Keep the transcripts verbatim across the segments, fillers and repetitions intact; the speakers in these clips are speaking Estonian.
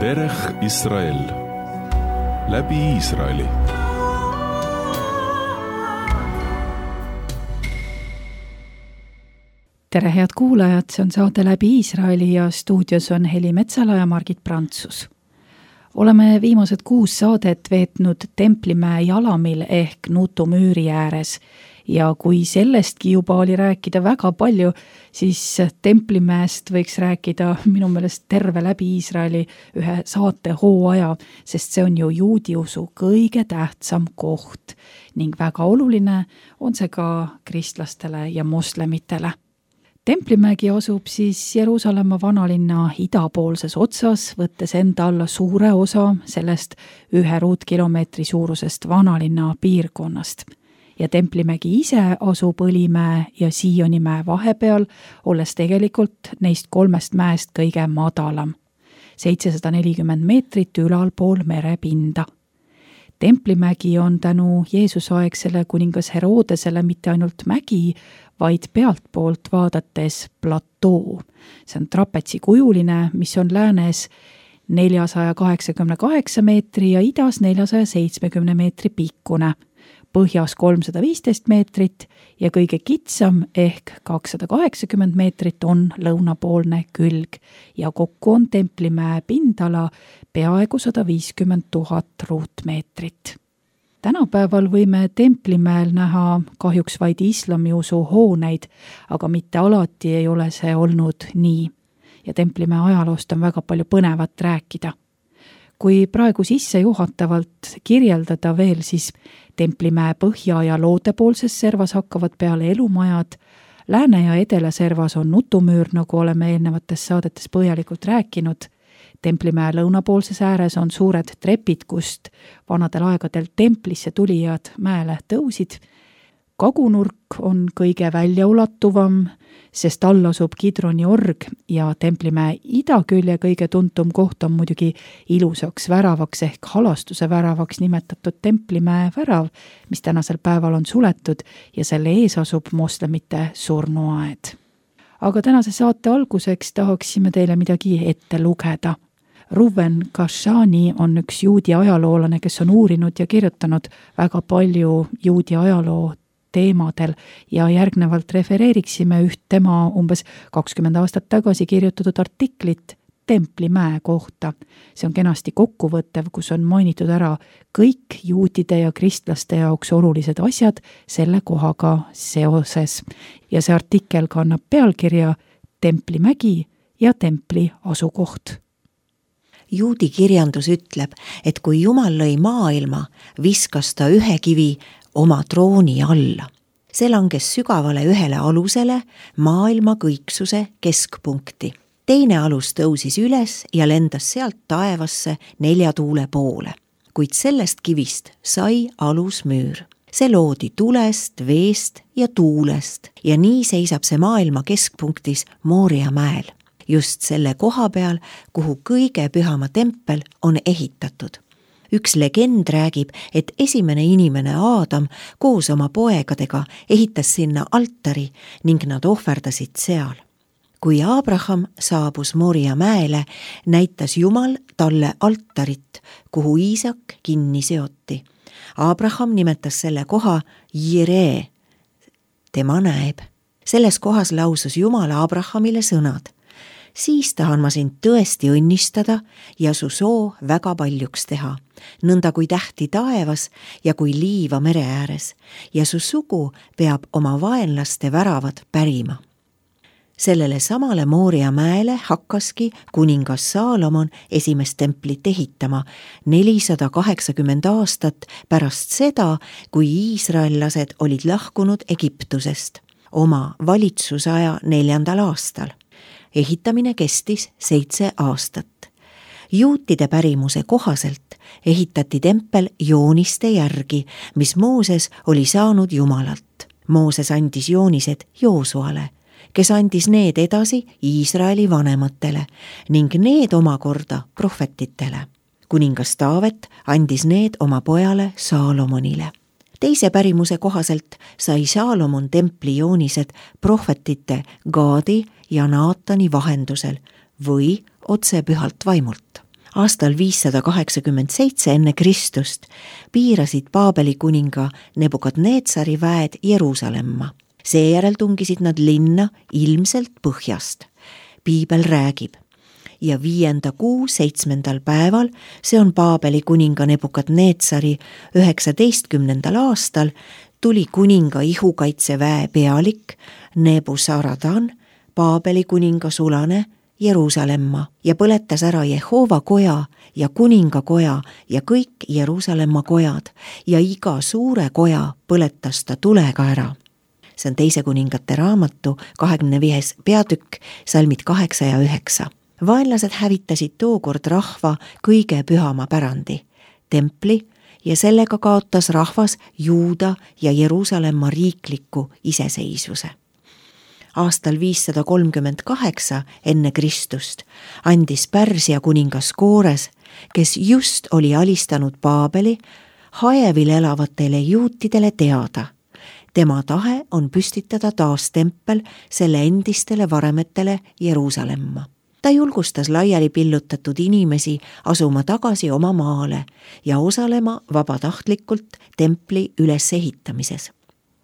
Derech Israel läbi Iisraeli. Tere head kuulajad, see on saade Läbi Iisraeli ja stuudios on Heli Metsala ja Margit Prantsus. Oleme viimased kuus saadet veetnud Templimäe jalamil ehk Nutu müüri ääres ja kui sellestki juba oli rääkida väga palju, siis Templimäest võiks rääkida minu meelest terve Läbi Iisraeli ühe saate hooaja, sest see on ju juudiusu kõige tähtsam koht ning väga oluline on see ka kristlastele ja moslemitele. Templimägi asub siis Jeruusalemma vanalinna idapoolses otsas, võttes enda alla suure osa sellest ühe ruutkilomeetri suurusest vanalinna piirkonnast. Ja Templimägi ise asub Õlimäe ja Sionimäe vahepeal, olles tegelikult neist kolmest mäest kõige madalam. seitsesada nelikümmend meetrit ülalpool merepinda. Templimägi on tänu Jeesusaegsele kuningas Herodesele mitte ainult mägi, vaid pealtpoolt vaadates platoo. See on trapetsikujuline, mis on läänes neljasada kaheksakümmend kaheksa meetri ja idas neljasada seitsmekümne meetri pikkune, põhjas kolmsada viisteist meetrit ja kõige kitsam ehk kakssada kaheksakümmend meetrit on lõunapoolne külg ja kokku on Templimäe pindala peaaegu sada viiskümmend tuhat ruutmeetrit. Tänapäeval võime Templimäel näha kahjuks vaid islamiusu hooneid, aga mitte alati ei ole see olnud nii. Ja Templimäe ajaloost on väga palju põnevat rääkida. Kui praegu sisse juhatavalt kirjeldada veel, siis Templimäe põhja- ja loodepoolses servas hakkavad peale elumajad, lääne- ja edelaservas on Nutumüür, nagu oleme eelnevates saadetes põhjalikult rääkinud. Templimäe lõunapoolses ääres on suured trepid, kust vanadel aegadel templisse tulijad mäele tõusid. Kagunurk on kõige väljaulatuvam, sest all asub Kidroni org ja Templimäe idakülje kõige tuntum koht on muidugi ilusaks väravaks ehk halastuse väravaks nimetatud Templimäe värav, mis tänasel päeval on suletud ja selle ees asub moslemite surnuaed. Aga tänase saate alguseks tahaksime teile midagi ette lugeda. Ruven Kashani on üks juudi ajaloolane, kes on uurinud ja kirjutanud väga palju juudi ajaloo teemadel ja järgnevalt refereeriksime üht tema umbes kakskümmend aastat tagasi kirjutatud artiklit Templimäe kohta. See on kenasti kokkuvõttev, kus on mainitud ära kõik juudide ja kristlaste jaoks olulised asjad selle kohaga seoses. Ja see artikkel kannab pealkirja Templimägi ja templi asukoht. Juudi kirjandus ütleb, et kui Jumal lõi maailma, viskas ta ühe kivi oma trooni alla. See langes sügavale ühele alusele, maailma kõiksuse keskpunkti. Teine alus tõusis üles ja lendas sealt taevasse nelja tuule poole. Kuid sellest kivist sai alusmüür. See loodi tulest, veest ja tuulest ja nii seisab see maailma keskpunktis Mooria mäel. Just selle koha peal, kuhu kõige pühama tempel on ehitatud. Üks legend räägib, et esimene inimene Aadam koos oma poegadega ehitas sinna altari ning nad ohverdasid seal. Kui Abraham saabus Mooria mäele, näitas Jumal talle altarit, kuhu Iisak kinni seoti. Abraham nimetas selle koha Jiree, tema näeb. Selles kohas lausus Jumal Abrahamile sõnad. Siis tahan ma sind tõesti õnnistada ja su soo väga paljuks teha, nõnda kui tähti taevas ja kui liiva mere ääres, ja su sugu peab oma vaenlaste väravad pärima. Sellele samale Mooria mäele hakkaski kuningas Saalomon esimest templit ehitama nelisada kaheksakümmend aastat pärast seda, kui iisraellased olid lahkunud Egiptusest oma valitsusaja neljandal aastal. Ehitamine kestis seitse aastat. Juutide pärimuse kohaselt ehitati tempel jooniste järgi, mis Mooses oli saanud Jumalalt. Mooses andis joonised Joosuale, kes andis need edasi Iisraeli vanematele ning need omakorda prohvetitele. Kuningas Taavet andis need oma pojale Saalomonile. teise pärimuse kohaselt sai Saalomon templi joonised prohvetite Gaadi ja Naatani vahendusel või otse pühalt vaimult. Aastal viissada kaheksakümmend seitse enne Kristust piirasid Paabeli kuninga Nebukadnetsari väed Jeruusalemma. Seejärel tungisid nad linna ilmselt põhjast. Piibel räägib, ja viienda kuu seitsmendal päeval, see on Paabeli kuninga Nebukadnetsari üheksateistkümnendal aastal, tuli kuninga ihukaitseväe pealik Nebuzaradan, Paabeli kuninga sulane Jeruusalemma ja põletas ära Jehova koja ja kuninga koja ja kõik Jeruusalemma kojad ja iga suure koja põletas ta tulega ära. See on teise kuningate raamatu kahekümne viies peatükk, salmid kaheksa ja üheksa. Vaenlased hävitasid tookord rahva kõige pühama pärandi, templi, ja sellega kaotas rahvas Juuda ja Jeruusalemma riikliku iseseisvuse. Aastal viissada kolmkümmend kaheksa enne Kristust andis Pärsia kuningas Koores, kes just oli alistanud Paabeli, Haevil elavatele juutidele teada. Tema tahe on püstitada taas tempel selle endistele varemetele Jeruusalemma. Ta julgustas laiali pillutatud inimesi asuma tagasi oma maale ja osalema vabatahtlikult templi ülesehitamises.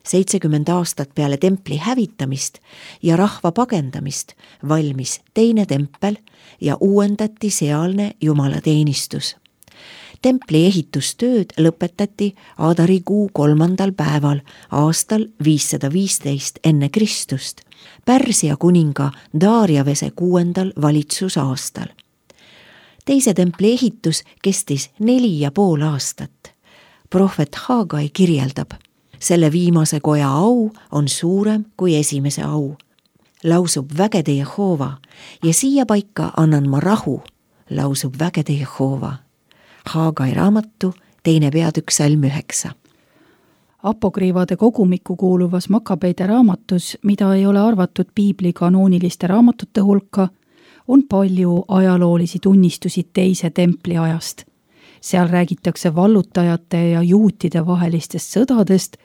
seitsekümmend aastat peale templi hävitamist ja rahva pagendamist valmis teine tempel ja uuendati sealne jumalateenistus. Templi ehitustööd lõpetati Aadarikuu kolmandal päeval aastal viissada viisteist enne Kristust, Pärsia kuninga Darjavese kuuendal valitsusaastal. Teise templi ehitus kestis neli ja pool aastat. Prohvet Haagai kirjeldab, selle viimase koja au on suurem kui esimese au. Lausub vägede Jehova ja siia paika annan ma rahu, lausub vägede Jehova. Haagai raamatu, teine peatükk, salm üheksa. Apokriivade kogumikku kuuluvas Makabeide raamatus, mida ei ole arvatud piibli kanooniliste raamatute hulka, on palju ajaloolisi tunnistusi teise templi ajast. Seal räägitakse vallutajate ja juutide vahelistest sõdadest,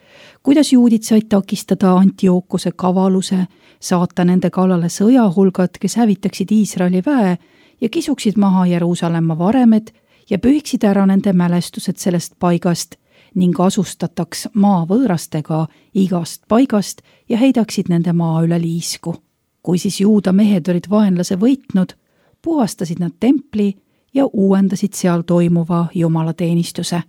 kuidas juudid said takistada Antiookuse kavaluse, saata nende kallale sõjahulgad, kes hävitaksid Iisraeli väe ja kisuksid maha Jeruusalemma varemed ja pühiksid ära nende mälestused sellest paigast ning asustataks maa võõrastega igast paigast ja heidaksid nende maa üle liisku. Kui siis juuda mehed olid vaenlase võitnud, puhastasid nad templi ja uuendasid seal toimuva jumalateenistuse.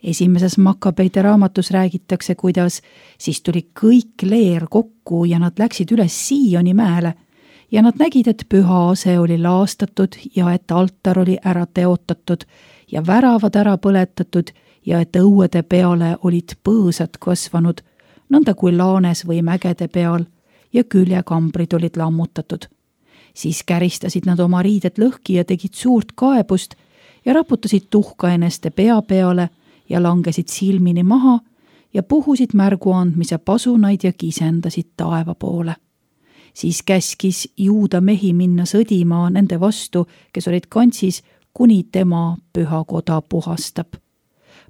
Esimeses Makabeide raamatus räägitakse, kuidas siis tuli kõik leer kokku ja nad läksid üles Sioni mäele ja nad nägid, et püha ase oli laastatud ja et altar oli ära teotatud ja väravad ära põletatud ja et õuede peale olid põõsad kasvanud, nõnda kui laanes või mägede peal ja küljekambrid olid lammutatud. Siis käristasid nad oma riided lõhki ja tegid suurt kaebust ja raputasid tuhka eneste pea peale ja langesid silmini maha ja puhusid märgu andmise pasunaid ja kisendasid taeva poole. Siis käskis juuda mehi minna sõdima nende vastu, kes olid kantsis, kuni tema püha koda puhastab.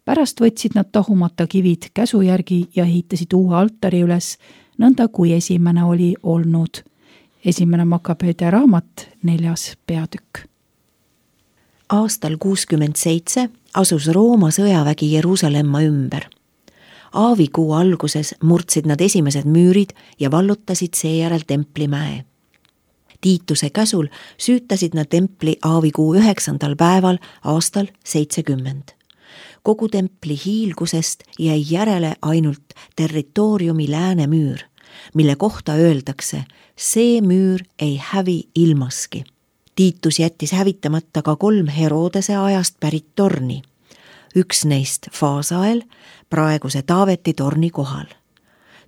Pärast võtsid nad tahumata kivid käsu järgi ja ehitasid uue altari üles, nõnda kui esimene oli olnud. Esimene Makabeide raamat, neljas peatükk. Aastal kuuskümmend seitse asus Rooma sõjavägi Jeruusalemma ümber. Aavikuu alguses murdsid nad esimesed müürid ja vallutasid seejärel templimäe. Tiituse käsul süütasid nad templi aavikuu üheksandal päeval aastal seitsekümmend. Kogu templi hiilgusest jäi järele ainult territooriumi lääne müür, mille kohta öeldakse, see müür ei hävi ilmaski. Tiitus jättis hävitamata ka kolm Herodese ajast pärit torni. Üks neist Faasael, praeguse Taaveti torni kohal.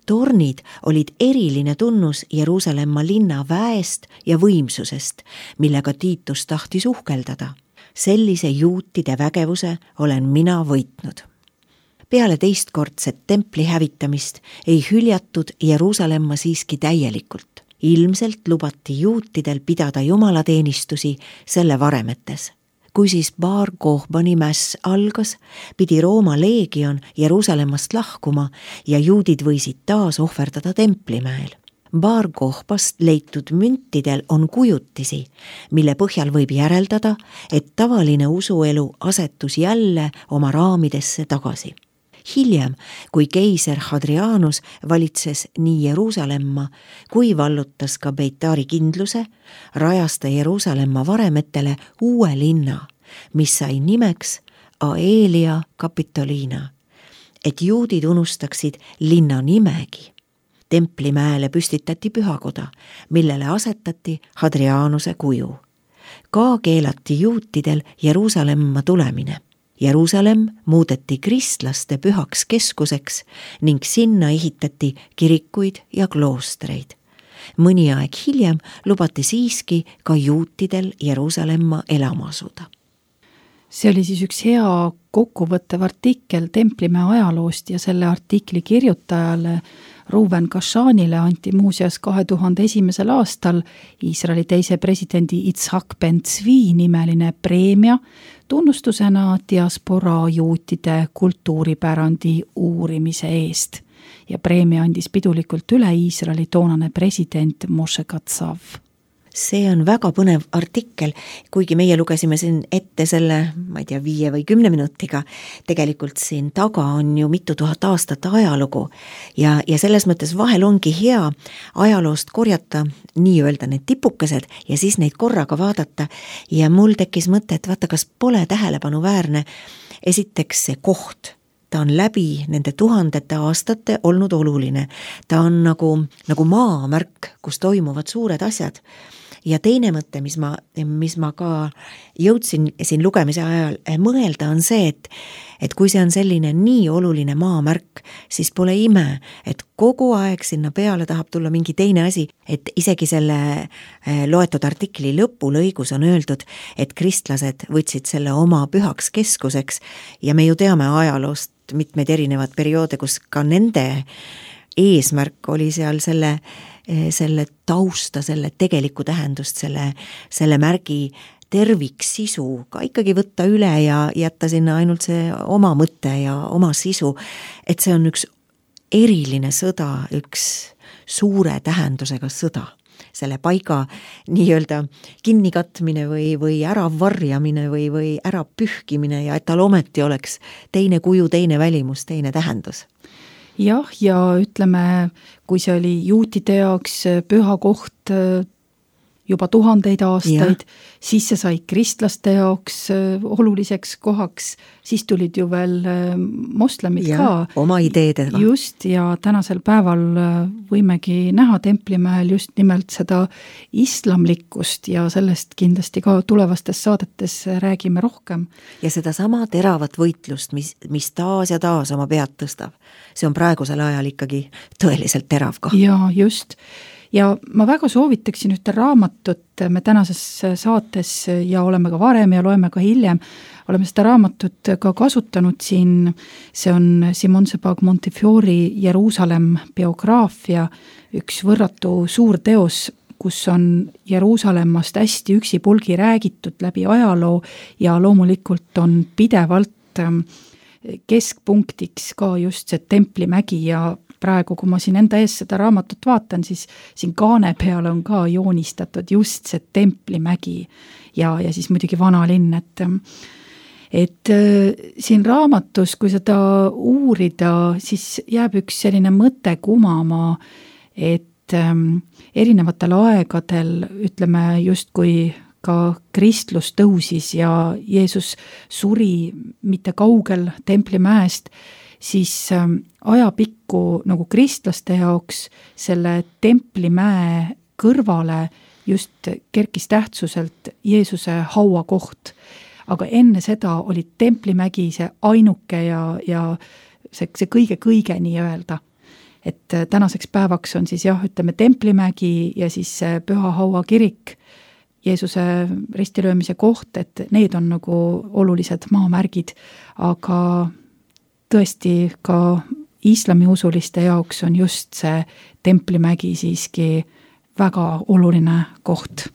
Tornid olid eriline tunnus Jeruusalemma linna väest ja võimsusest, millega Tiitus tahtis uhkeldada. Sellise juutide vägevuse olen mina võitnud. Peale teistkordset templi hävitamist ei hüljatud Jeruusalemma siiski täielikult. Ilmselt lubati juutidel pidada jumalateenistusi selle varemetes. kui siis Bar Kohbani mäss algas, pidi Rooma leegion Jeruusalemmast lahkuma ja juudid võisid taas ohverdada templimäel. Bar Kohbast leitud müntidel on kujutisi, mille põhjal võib järeldada, et tavaline usuelu asetus jälle oma raamidesse tagasi. Hiljem, kui keiser Hadrianus valitses nii Jeruusalemma kui vallutas ka Beitari kindluse, rajas ta Jeruusalemma varemetele uue linna, mis sai nimeks Aelia Capitolina, et juudid unustaksid linna nimegi. Templimäele püstitati pühakoda, millele asetati Hadrianuse kuju. Ka keelati juutidel Jeruusalemma tulemine. Jeruusalemm muudeti kristlaste pühaks keskuseks ning sinna ehitati kirikuid ja kloostreid. Mõni aeg hiljem lubati siiski ka juutidel Jeruusalemma elama asuda. See oli siis üks hea kokkuvõttev artikkel Templimäe ajaloost ja selle artikli kirjutajale Reuven Kashanile anti muuseas kahe tuhande esimesel aastal Iisraeli teise presidendi Itzhak Ben-Zvi nimeline preemia tunnustusena diasporaa juutide kultuuripärandi uurimise eest. Ja preemia andis pidulikult üle Iisraeli toonane president Moshe Katsav. See on väga põnev artikkel, kuigi meie lugesime siin ette selle, ma ei tea, viie või kümne minutiga, tegelikult siin taga on ju mitu tuhat aastat ajalugu ja, ja selles mõttes vahel ongi hea ajaloost korjata nii-öelda need tipukesed ja siis neid korraga vaadata ja mul tekkis mõte, et vaata, kas pole tähelepanuväärne esiteks see koht. Ta on läbi nende tuhandete aastate olnud oluline. Ta on nagu, nagu maamärk, kus toimuvad suured asjad. Ja teine mõte, mis ma, mis ma ka jõudsin siin lugemise ajal mõelda, on see, et, et kui see on selline nii oluline maamärk, siis pole ime, et kogu aeg sinna peale tahab tulla mingi teine asi, et isegi selle loetud artikli lõpulõigus on öeldud, et kristlased võtsid selle oma pühaks keskuseks ja me ju teame ajaloost mitmeid erinevad perioode, kus ka nende eesmärk oli seal selle selle tausta, selle tegelikku tähendust, selle, selle märgi terviksisu ka ikkagi võtta üle ja jätta sinna ainult see oma mõte ja oma sisu, et see on üks eriline sõda, üks suure tähendusega sõda. Selle paiga nii-öelda kinnikatmine või, või ära varjamine või, või ära pühkimine ja et tal ometi oleks teine kuju, teine välimus, teine tähendus. Jah, ja ütleme, kui see oli juutide jaoks püha koht juba tuhandeid aastaid, ja. Siis see sai kristlaste jaoks oluliseks kohaks, siis tulid ju veel moslemid ja, ka. Oma ideedega. Just, ja tänasel päeval võimegi näha Templimäel just nimelt seda islamlikkust ja sellest kindlasti ka tulevastes saadetes räägime rohkem. Ja seda sama teravat võitlust, mis, mis taas ja taas oma pead tõstab. See on praegusel ajal ikkagi tõeliselt terav ka. Ja just. Ja ma väga soovitaksin ühte raamatut, me tänases saates ja oleme ka varem ja loeme ka hiljem, oleme seda raamatut ka kasutanud siin, see on Simon Sebag Montefiori Jeruusalemm biograafia, üks võrratu suur teos, kus on Jeruusalemmast hästi üksipulgi räägitud läbi ajaloo ja loomulikult on pidevalt keskpunktiks ka just see Templimägi ja praegu, kui ma siin enda ees seda raamatut vaatan, siis siin kaane peal on ka joonistatud just see Templimägi ja, ja siis muidugi vanalinn, et, et siin raamatus, kui seda uurida, siis jääb üks selline mõte kumama, et erinevatel aegadel, ütleme justkui ka kristlus tõusis ja Jeesus suri mitte kaugel Templimäest, siis ajapikku nagu kristlaste jaoks selle Templimäe kõrvale just kerkis tähtsuselt Jeesuse hauakoht. Aga enne seda oli Templimägi see ainuke ja, ja see, see kõige-kõige nii öelda. Et tänaseks päevaks on siis jah, ütleme Templimägi ja siis Püha Haua kirik, Jeesuse ristilöömise koht, et need on nagu olulised maamärgid, aga tõesti ka islamiusuliste jaoks on just see Templimägi siiski väga oluline koht.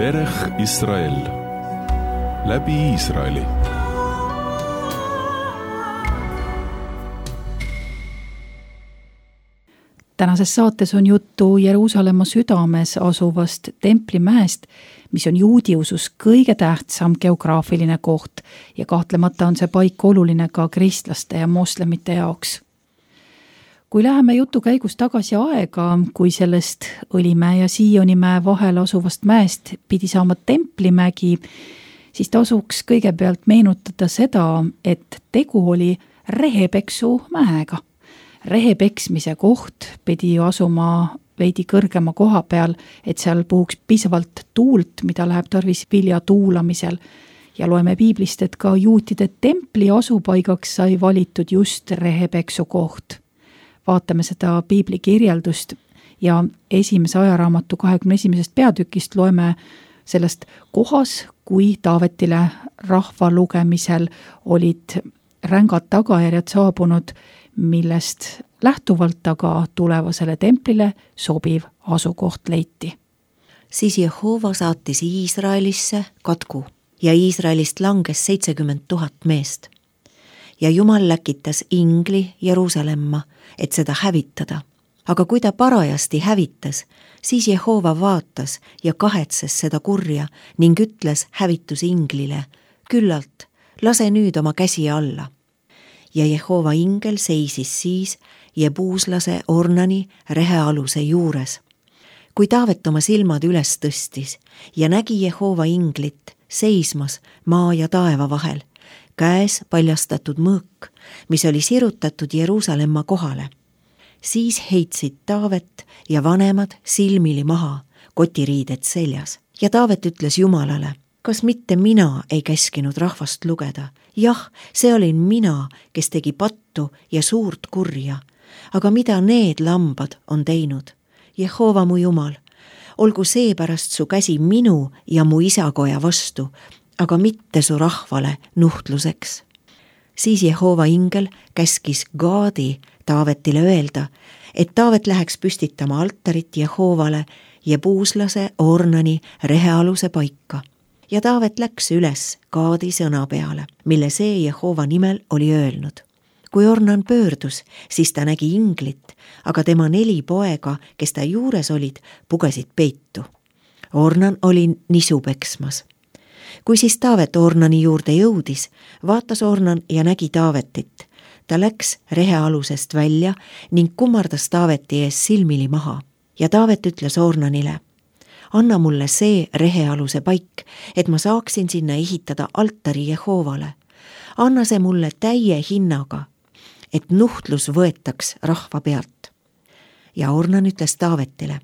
דרך ישראל, läbi Iisraeli. Tänases saates on juttu Jeruusalemma südames asuvast templimäest, mis on juudi usus kõige tähtsam geograafiline koht ja kahtlemata on see paik oluline ka kristlaste ja moslemite jaoks. Kui läheme jutu käigus tagasi aega, kui sellest Õlimäe ja Sionimäe vahel asuvast mäest pidi saama templimägi, siis tasuks kõigepealt meenutada seda, et tegu oli Rehepeksu mäega. Rehepeksmise koht pidi ju asuma veidi kõrgema koha peal, et seal puhuks piisavalt tuult, mida läheb tarvis vilja tuulamisel. Ja loeme piiblist, et ka juutide templi asupaigaks sai valitud just Rehepeksu koht. Vaatame seda piibli kirjeldust ja esimese ajaraamatu kahekümne esimesest peatükist loeme sellest kohas, kui Taavetile rahva lugemisel olid rängad tagajärjed saabunud, millest lähtuvalt aga tulevasele templile sobiv asukoht leiti. Siis Jehova saatis Iisraelisse katku ja Iisraelist langes seitsekümmend tuhat meest. Ja Jumal läkitas ingli Jeruusalemma, et seda hävitada. Aga kui ta parajasti hävitas, siis Jehova vaatas ja kahetses seda kurja ning ütles hävitus inglile, küllalt, lase nüüd oma käsi alla. Ja Jehova ingel seisis siis Jebuuslase Ornani rehealuse juures. Kui Taavet oma silmad üles tõstis ja nägi Jehova inglit seismas maa ja taeva vahel, käes paljastatud mõõk, mis oli sirutatud Jeruusalemma kohale. Siis heitsid Taavet ja vanemad silmili maha, kotiriided seljas. Ja Taavet ütles Jumalale, kas mitte mina ei käskinud rahvast lugeda? Jah, see olin mina, kes tegi pattu ja suurt kurja. Aga mida need lambad on teinud? Jehova mu Jumal, olgu seepärast su käsi minu ja mu isakoja vastu, aga mitte su rahvale nuhtluseks. Siis Jehova ingel käskis Gaadi Taavetile öelda, et Taavet läheks püstitama altarit Jehovale Jebuuslase Ornani rehealuse paika. Ja Taavet läks üles Gaadi sõna peale, mille see Jehova nimel oli öelnud. Kui Ornan pöördus, siis ta nägi inglit, aga tema neli poega, kes ta juures olid, pugesid peitu. Ornan oli nisu peksmas. Kui siis Taavet Ornani juurde jõudis, vaatas Ornan ja nägi Taavetit. Ta läks rehealusest välja ning kummardas Taaveti ees silmili maha. Ja Taavet ütles Ornanile, anna mulle see rehealuse paik, et ma saaksin sinna ehitada altari Jehovale. Anna see mulle täie hinnaga, et nuhtlus võetaks rahva pealt. Ja Ornan ütles Taavetile,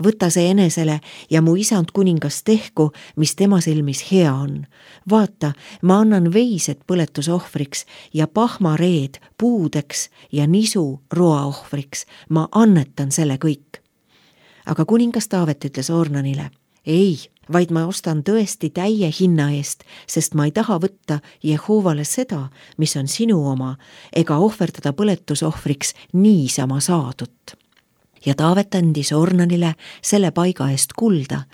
võta see enesele ja mu isand kuningas tehku, mis tema silmis hea on. Vaata, ma annan veised põletusohvriks ja pahmareed puudeks ja nisu roaohvriks. Ma annetan selle kõik. Aga kuningas Taavet ütles Ornanile, ei, vaid ma ostan tõesti täie hinna eest, sest ma ei taha võtta Jehoovale seda, mis on sinu oma, ega ohverdada põletusohvriks niisama saadut. Ja Taavet andis Ornanile selle paiga eest kulda,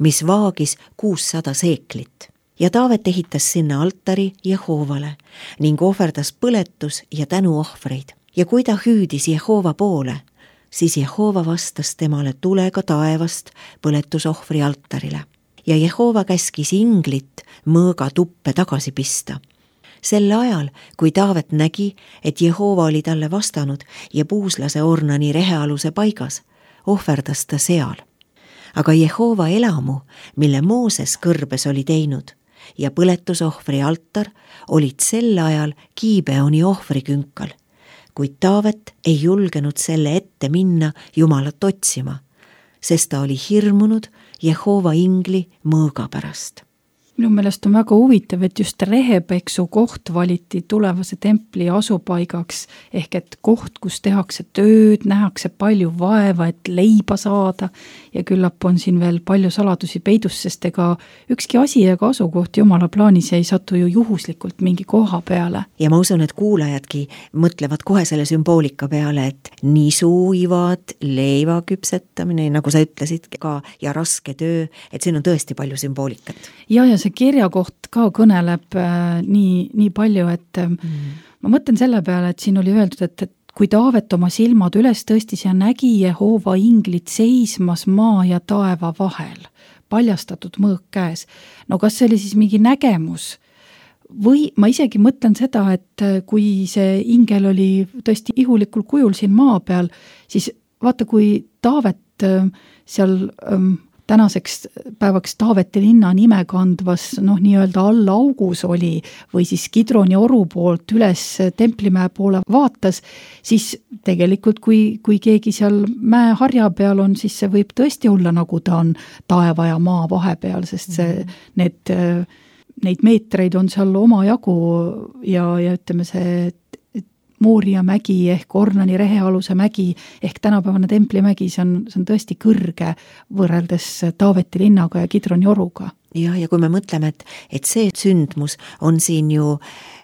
mis vaagis kuussada seeklit. Ja Taavet ehitas sinna altari Jehoovale ning ohverdas põletus- ja tänuohvreid. Ja kui ta hüüdis Jehoova poole, siis Jehoova vastas temale tulega taevast põletusohvri altarile. Ja Jehoova käskis inglit mõõga tuppe tagasi pista. Sel ajal, kui Taavet nägi, et Jehoova oli talle vastanud ja puuslase Ornani rehealuse paigas, ohverdas ta seal. Aga Jehoova elamu, mille Mooses kõrbes oli teinud, ja põletusohvri altar olid sel ajal Gibeoni ohvrikünkal, kuid Taavet ei julgenud selle ette minna Jumalat otsima, sest ta oli hirmunud Jehoova ingli mõõga pärast. Minu meelest on väga huvitav, et just rehepeksu koht valiti tulevase templi asupaigaks, ehk et koht, kus tehakse tööd, nähakse palju vaeva, et leiba saada ja küllap on siin veel palju saladusi peidus, sest ega ükski asi ega asukoht Jumala plaanis ei satu ju juhuslikult mingi koha peale. Ja ma usun, et kuulajadki mõtlevad kohe selle sümboolika peale, et nisuivad, leiva küpsetamine, nagu sa ütlesid ka, ja raske töö, et siin on tõesti palju sümboolikat. Ja, ja see kirja koht ka kõneleb äh, nii, nii palju, et äh, mm. ma mõtlen selle peale, et siin oli öeldud, et, et kui Taavet oma silmad üles tõstis ja nägi Jehoova inglit seismas maa ja taeva vahel, paljastatud mõõk käes. No kas see oli siis mingi nägemus? Või ma isegi mõtlen seda, et kui see ingel oli tõesti ihulikul kujul siin maa peal, siis vaata, kui Taavet äh, seal äh, tänaseks päevaks Taaveti linna nime kandvas, noh, nii-öelda alla augus oli või siis Kidroni oru poolt üles Templimäe poole vaatas, siis tegelikult kui, kui keegi seal mäeharja peal on, siis see võib tõesti olla, nagu ta on taeva ja maa vahepeal, sest see, need, neid meetreid on seal omajagu ja, ja ütleme see Mooria mägi ehk Ornani rehealuse mägi ehk tänapäevane Templimägi, see on, see on tõesti kõrge võrreldes Taaveti linnaga ja Kidroni oruga. Ja, ja kui me mõtleme, et, et see sündmus on siin ju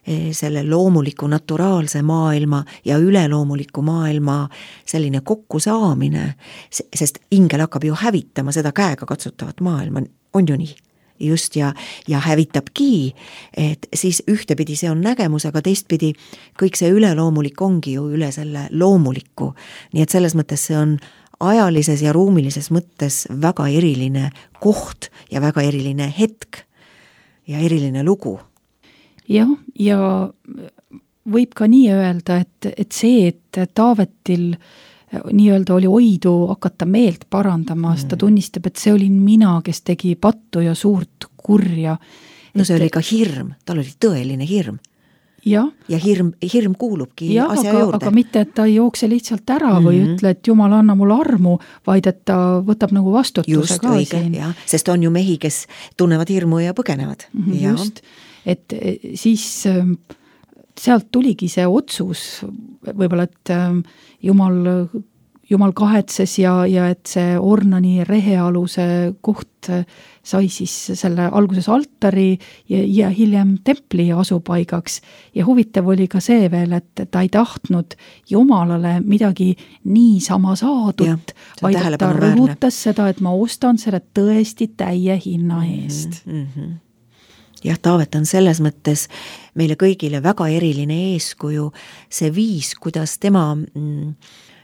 selle loomuliku naturaalse maailma ja üleloomuliku maailma selline kokkusaamine, sest ingel hakkab ju hävitama seda käega katsutavat maailma, on ju nii? Just ja, ja hävitabki, et siis ühtepidi see on nägemus, aga teistpidi kõik see üleloomulik ongi ju üle selle loomuliku. Nii et selles mõttes see on ajalises ja ruumilises mõttes väga eriline koht ja väga eriline hetk ja eriline lugu. Jah, ja võib ka nii öelda, et, et see, et Taavetil nii-öelda oli oidu hakata meelt parandama, mm. ta tunnistab, et see olin mina, kes tegi pattu ja suurt kurja. No see et... oli ka hirm, tal oli tõeline hirm. Ja, ja hirm, hirm kuulubki ja, asja aga, juurde. Aga mitte, et ta ei jookse lihtsalt ära mm-hmm. või ütle, et Jumal anna mulle armu, vaid et ta võtab nagu vastutuse just, ka õige, siin. Ja, sest on ju mehi, kes tunnevad hirmu ja põgenevad. Mm-hmm, ja. Just, et siis sealt tuligi see otsus, võib-olla, et Jumal, Jumal kahetses ja, ja et see Ornani rehealuse koht sai siis selle alguses altari ja, ja hiljem templi asupaigaks. Ja huvitav oli ka see veel, et ta ei tahtnud Jumalale midagi niisama saadut, ja, vaid et ta rõhutas seda, et ma ostan selle tõesti täie hinna eest. Mm-hmm. Jah, Taavet on selles mõttes meile kõigile väga eriline eeskuju, see viis, kuidas tema mm,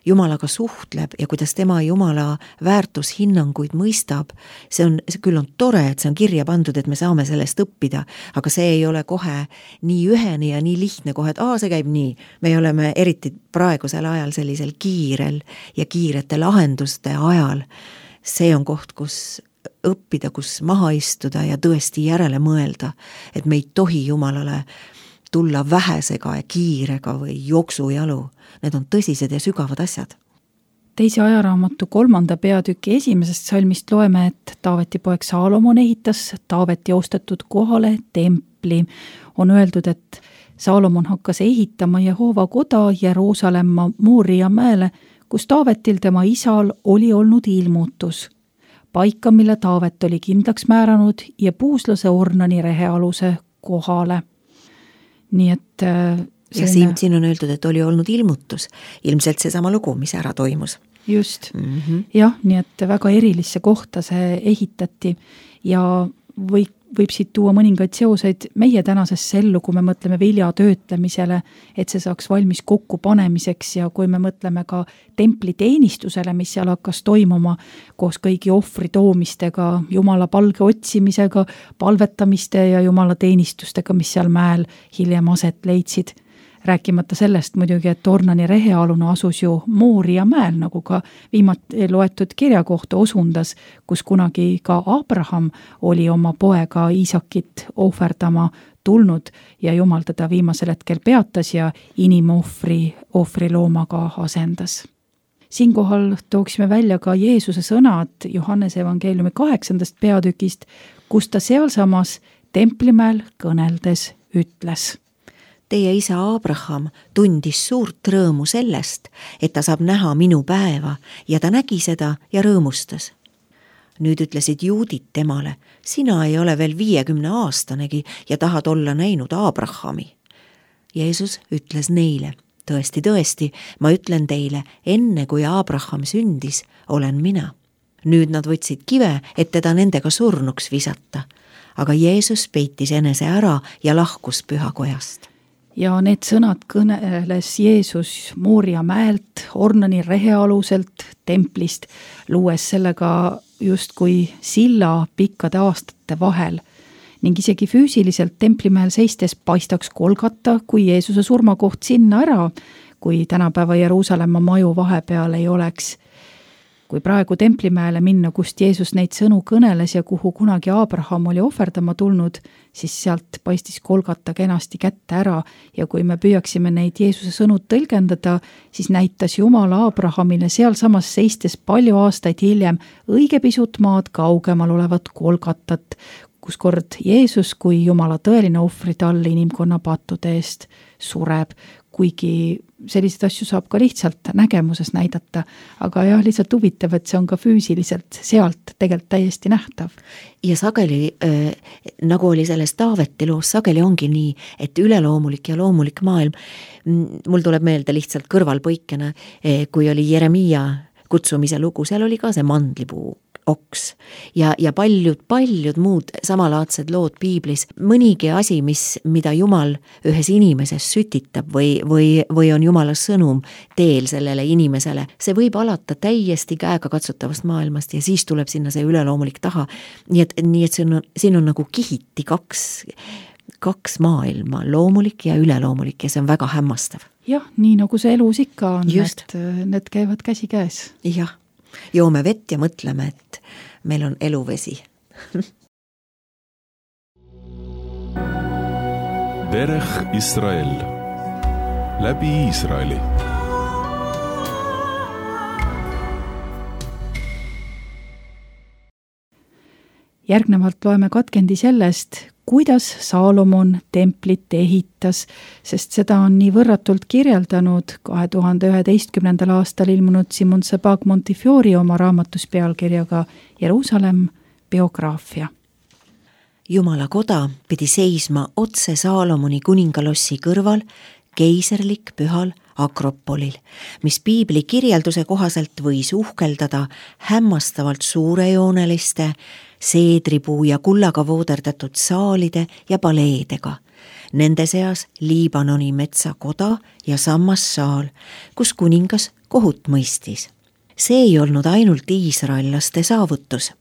Jumalaga suhtleb ja kuidas tema Jumala väärtushinnanguid mõistab, see on, see küll on tore, et see on kirja pandud, et me saame sellest õppida, aga see ei ole kohe nii ühene ja nii lihtne kohe, et aa, see käib nii. Me oleme eriti praegusel ajal sellisel kiirel ja kiirete lahenduste ajal. See on koht, kus õppida, kus maha istuda ja tõesti järele mõelda, et me ei tohi Jumalale tulla vähesega ja kiirega või jooksujalu. Need on tõsised ja sügavad asjad. Teise ajaraamatu kolmanda peatüki esimesest salmist loeme, et Taaveti poeg Saalomon ehitas Taaveti ostetud kohale templi. On öeldud, et Saalomon hakkas ehitama Jehoova koda Jeruusalemma Mooria mäele, kus Taavetil tema isal oli olnud ilmutus. paika, mille Taavet oli kindlaks määranud ja puuslase Ornani rehealuse kohale. Nii et selline... ja siin, siin on öeldud, et oli olnud ilmutus, ilmselt seesama lugu, mis ära toimus. Just, mm-hmm. jah, nii et väga erilisse kohta see ehitati ja või, võib siit tuua mõningaid seoseid meie tänasesse ellu, kui me mõtleme vilja töötlemisele, et see saaks valmis kokku panemiseks ja kui me mõtleme ka templiteenistusele, mis seal hakkas toimuma koos kõigi ohvri toomistega, Jumala palge otsimisega, palvetamiste ja Jumala teenistustega, mis seal mäel hiljem aset leidsid. Rääkimata sellest muidugi, et Ornani rehealune asus ju Mooria mäel, nagu ka viimati loetud kirja kohta osundas, kus kunagi ka Abraham oli oma poega Iisakit ohverdama tulnud ja Jumal teda viimasel hetkel peatas ja inimohvri ohvriloomaga asendas. Siinkohal tooksime välja ka Jeesuse sõnad Johannese evangeeliumi kaheksandast peatükist, kus ta sealsamas templimäel kõneldes ütles. Teie isa Abraham tundis suurt rõõmu sellest, et ta saab näha minu päeva ja ta nägi seda ja rõõmustas. Nüüd ütlesid juudid temale, sina ei ole veel viiekümne aastanegi ja tahad olla näinud Abrahami. Jeesus ütles neile, tõesti, tõesti, ma ütlen teile, enne kui Abraham sündis, olen mina. Nüüd nad võtsid kive, et teda nendega surnuks visata, aga Jeesus peitis enese ära ja lahkus pühakojast. Ja need sõnad kõneles Jeesus Mooria mäelt, Ornani rehealuselt, templist, luues sellega justkui silla pikkade aastate vahel ning isegi füüsiliselt templimäel seistes paistaks Golgata, kui Jeesuse surmakoht sinna ära, kui tänapäeva Jeruusalemma maju vahepeal ei oleks. Kui praegu templimäele minna, kust Jeesus neid sõnu kõneles ja kuhu kunagi Abraham oli ohverdama tulnud, siis sealt paistis Golgata kenasti kätte ära ja kui me püüaksime neid Jeesuse sõnud tõlgendada, siis näitas Jumal Abrahamile sealsamas seistes palju aastaid hiljem õige pisut maad kaugemal olevat Golgatat, kus kord Jeesus kui Jumala tõeline ohvritall inimkonna pattude eest sureb, kuigi selliseid asju saab ka lihtsalt nägemuses näidata, aga jah, lihtsalt huvitav, et see on ka füüsiliselt sealt tegelikult täiesti nähtav. Ja sageli, äh, nagu oli selles Taaveti loos, sageli ongi nii, et üleloomulik ja loomulik maailm, mul tuleb meelde lihtsalt kõrvalpõikena, kui oli Jeremia kutsumise lugu, seal oli ka see mandlipuu oks ja, ja paljud, paljud muud samalaadsed lood piiblis. Mõnigi asi, mis, mida Jumal ühes inimeses sütitab või, või, või on Jumala sõnum teel sellele inimesele, see võib alata täiesti käega katsutavast maailmast ja siis tuleb sinna see üleloomulik taha. Nii et, nii et siin, on, siin on nagu kihiti kaks, kaks maailma, loomulik ja üleloomulik ja see on väga hämmastav. Jah, nii nagu see elus ikka on, Just. et need käivad käsi käes. Jah. Joome vett ja mõtleme, et meil on eluvesi. Derech Israel. Läbi Iisraeli. Järgnevalt loeme katkendi sellest, kuidas Saalomon templit ehitas, sest seda on nii võrratult kirjeldanud kahe tuhande üheteistkümnendal aastal ilmunud Simon Sebag Montefiore oma raamatus pealkirjaga Jeruusalemm biograafia. Jumala koda pidi seisma otse Saalomoni kuningalossi kõrval keiserlik pühal Akropolil, mis piibli kirjelduse kohaselt võis uhkeldada hämmastavalt suurejooneliste seedripuu ja kullaga vooderdatud saalide ja paleedega. Nende seas Liibanoni metsakoda ja sammassaal, kus kuningas kohut mõistis. See ei olnud ainult iisraellaste saavutus.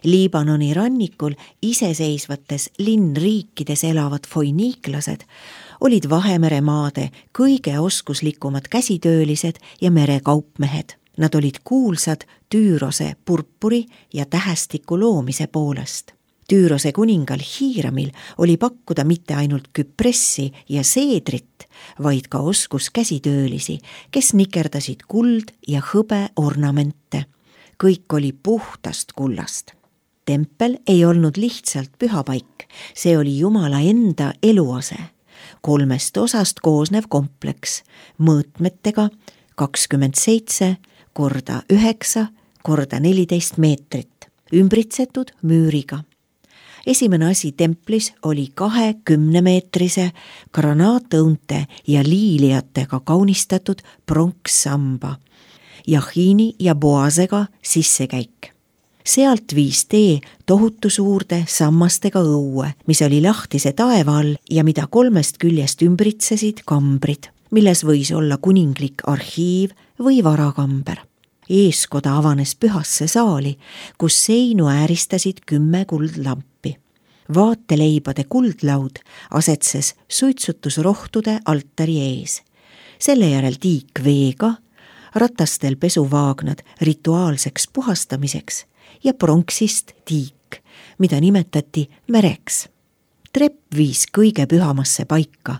Liibanoni rannikul iseseisvates linnriikides elavad foiniiklased olid Vahemere maade kõige oskuslikumad käsitöölised ja merekaupmehed. Nad olid kuulsad Tüürose purpuri ja tähestiku loomise poolest. Tüürose kuningal Hiiramil oli pakkuda mitte ainult küpressi ja seedrit, vaid ka oskus käsitöölisi, kes nikerdasid kuld ja hõbe ornamente. Kõik oli puhtast kullast. Tempel ei olnud lihtsalt pühapaik, see oli Jumala enda eluase. Kolmest osast koosnev kompleks, mõõtmetega kakskümmend seitse korda üheksa korda neliteist meetrit. ümbritsetud müüriga. Esimene asi templis oli kahekümnemeetrise granaatõunte ja liiliatega kaunistatud pronkssamba, jahiini ja boasega sissekäik. Sealt viis tee tohutu suurde sammastega õue, mis oli lahtise taeva all ja mida kolmest küljest ümbritsesid kambrid, milles võis olla kuninglik arhiiv või varakamber. Eeskoda avanes pühasse saali, kus seinu ääristasid kümme kuldlampi. Vaateleibade kuldlaud asetses suitsutusrohtude altari ees. Selle järel tiik veega, ratastel pesuvaagnad rituaalseks puhastamiseks ja pronksist tiik, mida nimetati mereks. Trepp viis kõige pühamasse paika,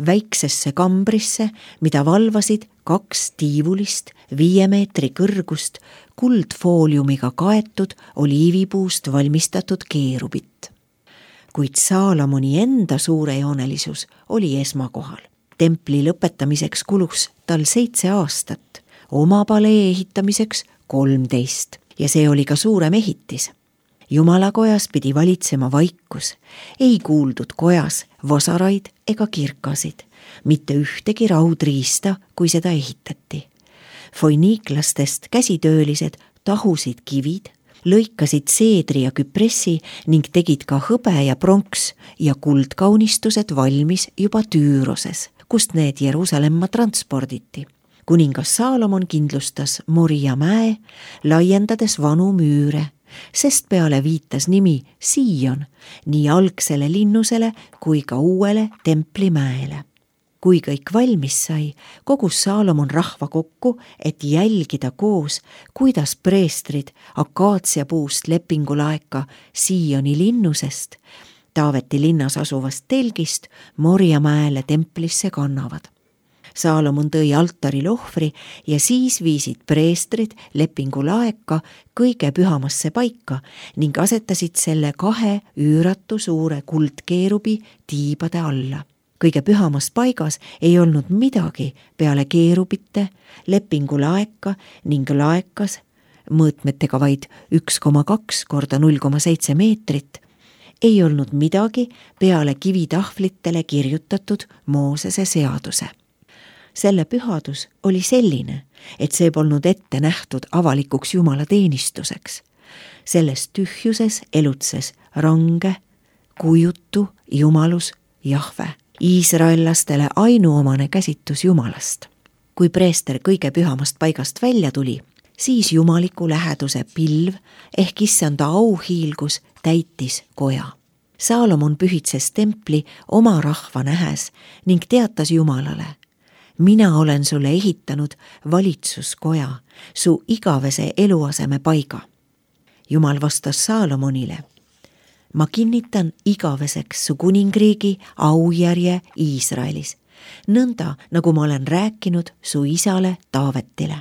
väiksesse kambrisse, mida valvasid kaks tiivulist viie meetri kõrgust kuldfooliumiga kaetud oliivipuust valmistatud keerubit. Kuid Saalomoni enda suurejoonelisus oli esmakohal. Templi lõpetamiseks kulus tal seitse aastat, oma palee ehitamiseks kolmteist ja see oli ka suurem ehitis. Jumalakojas pidi valitsema vaikus, ei kuuldud kojas vasaraid ega kirkasid, mitte ühtegi raudriista, kui seda ehitati. Foiniiklastest käsitöölised tahusid kivid, lõikasid seedri ja küpressi ning tegid ka hõbe ja pronks ja kuldkaunistused valmis juba Tüüroses, kust need Jeruusalemma transporditi. Kuningas Saalomon kindlustas Moria mäe, laiendades vanu müüre, sest peale viitas nimi Siion nii algsele linnusele kui ka uuele templimäele. Kui kõik valmis sai, kogus Saalomon rahva kokku, et jälgida koos, kuidas preestrid akaatsiapuust lepingulaeka Sioni linnusest, Taaveti linnas asuvast telgist Moria mäele templisse kannavad. Saalomon tõi altaril ohvri ja siis viisid preestrid lepingulaeka kõige pühamasse paika ning asetasid selle kahe üüratu suure kuldkeerubi tiibade alla. Kõige pühamas paigas ei olnud midagi peale keerubite, lepingulaeka ning laekas, mõõtmetega vaid üks koma kaks korda null koma seitse meetrit, ei olnud midagi peale kivitahvlitele kirjutatud Moosese seaduse. Selle pühadus oli selline, et see polnud ette nähtud avalikuks Jumala teenistuseks. Selles tühjuses elutses range, kujutu Jumalus Jahve, iisraellastele ainuomane käsitus Jumalast. Kui preester kõige pühamast paigast välja tuli, siis jumaliku läheduse pilv ehk issanda auhiilgus täitis koja. Saalomon pühitses templi oma rahva nähes ning teatas Jumalale: mina olen sulle ehitanud valitsuskoja, su igavese eluaseme paiga. Jumal vastas Saalomonile: ma kinnitan igaveseks su kuningriigi aujärje Iisraelis, nõnda nagu ma olen rääkinud su isale Taavetile.